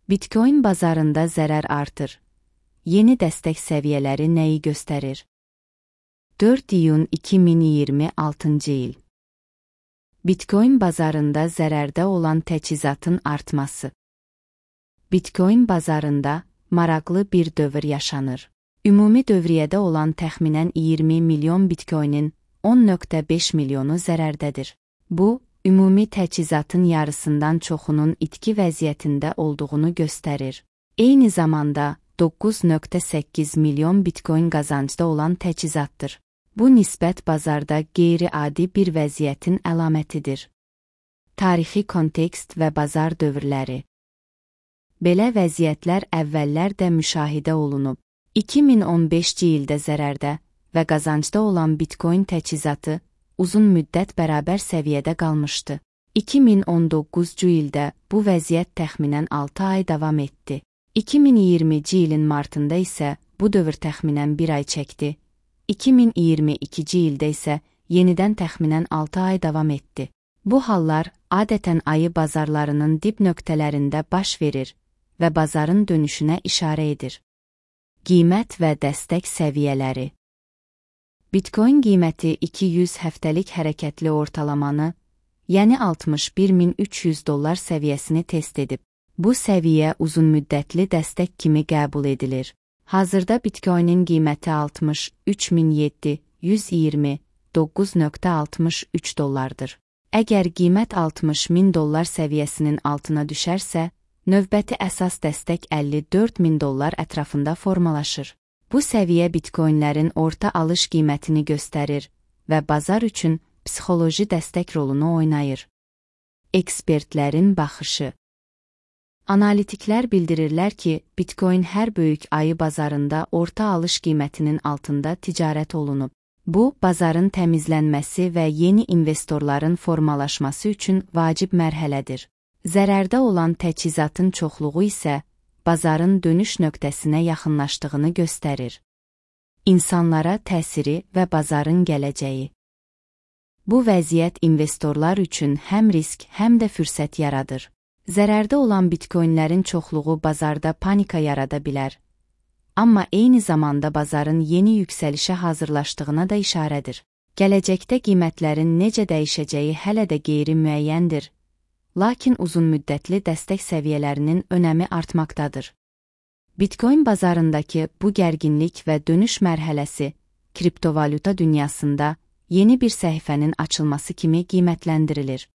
Bitcoin bazarında zərər artır. Yeni dəstək səviyyələri nəyi göstərir? 4 iyun 2026 il. Bitcoin bazarında zərərdə olan təchizatın artması. Bitcoin bazarında maraqlı bir dövr yaşanır. Ümumi dövriyyədə olan təxminən 20 milyon Bitcoinin 10,5 milyonu zərərdədir. Bu, ümumi təchizatın yarısından çoxunun itki vəziyyətində olduğunu göstərir. Eyni zamanda 9,8 milyon Bitcoin qazancda olan təchizatdır. Bu nisbət bazarda qeyri-adi bir vəziyyətin əlamətidir. Tarixi kontekst və bazar dövrləri. Belə vəziyyətlər əvvəllər də müşahidə olunub. 2015-ci ildə zərərdə və qazancda olan Bitcoin təchizatı uzun müddət bərabər səviyyədə qalmışdı. 2019-cu ildə bu vəziyyət təxminən 6 ay davam etdi. 2020-ci ilin martında isə bu dövr təxminən 1 ay çəkdi. 2022-ci ildə isə yenidən təxminən 6 ay davam etdi. Bu hallar adətən ayı bazarlarının dib nöqtələrində baş verir və bazarın dönüşünə işarə edir. Qiymət və dəstək səviyyələri. Bitcoin qiyməti 200 həftəlik hərəkətli ortalamanı, yəni $61.300 səviyyəsini test edib. Bu səviyyə uzunmüddətli dəstək kimi qəbul edilir. Hazırda Bitcoinin qiyməti $63.729,63. Əgər qiymət $60.000 səviyyəsinin altına düşərsə, növbəti əsas dəstək $54.000 ətrafında formalaşır. Bu səviyyə Bitcoinlərin orta alış qiymətini göstərir və bazar üçün psixoloji dəstək rolunu oynayır. Ekspertlərin baxışı. Analitiklər bildirirlər ki, Bitcoin hər böyük ayı bazarında orta alış qiymətinin altında ticarət olunub. Bu, bazarın təmizlənməsi və yeni investorların formalaşması üçün vacib mərhələdir. Zərərdə olan təchizatın çoxluğu isə bazarın dönüş nöqtəsinə yaxınlaşdığını göstərir. İnsanlara təsiri və bazarın gələcəyi. Bu vəziyyət investorlar üçün həm risk, həm də fürsət yaradır. Zərərdə olan Bitcoinlərin çoxluğu bazarda panika yarada bilər. Amma eyni zamanda bazarın yeni yüksəlişə hazırlaşdığına da işarədir. Gələcəkdə qiymətlərin necə dəyişəcəyi hələ də qeyri-müəyyəndir. Lakin uzunmüddətli dəstək səviyyələrinin önəmi artmaqdadır. Bitcoin bazarındakı bu gərginlik və dönüş mərhələsi, kriptovalyuta dünyasında yeni bir səhifənin açılması kimi qiymətləndirilir.